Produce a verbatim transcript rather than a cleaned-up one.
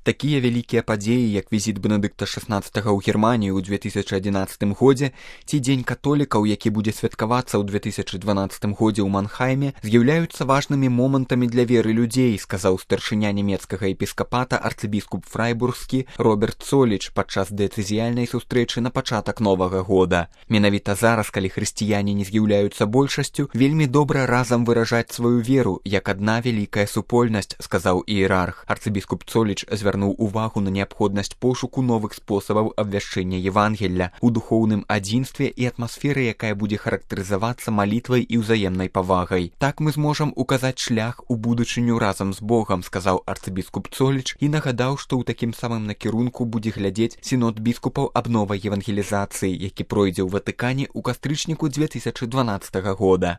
Такія вялікія падзеі, як візіт Бенедыкта шаснаццатага ў Германію ў две тысячы адзінаццатым годзе ці Дзень католікаў, які будзе святкавацца ў две тысячы дванаццатым годзе ў Манхайме, з'яўляюцца важнымі момантамі для веры людзей, сказаў старшыня нямецкага епіскапата арцыбіскуп фрайбургскі Роберт Цоліч падчас дыяцэзіяльнай сустрэчы на пачатак новага года. Менавіта зараз, калі хрысціяне не з'яўляюцца большасцю, вельмі добра разам выражаць сваю веру, як адна вялікая супольнасць, сказаў іерарх. Арцыбіскуп Цоліч звярнуў увагу на неабходнасць пошуку новых спосабаў абвяшчэння Евангелля у духоўным адзінстве і атмасферы, якая будзе характарызавацца малітвай і ўзаемнай павагай. Так мы зможам указаць шлях у будучыню разам з Богам, сказаў арцыбіскуп Цоліч і нагадаў, што ў такім самым накірунку будзе глядзець сінод біскупаў аб новай евангелізацыі, які пройдзе ў Ватыкане ў кастрычніку две тысячы дванаццатага года.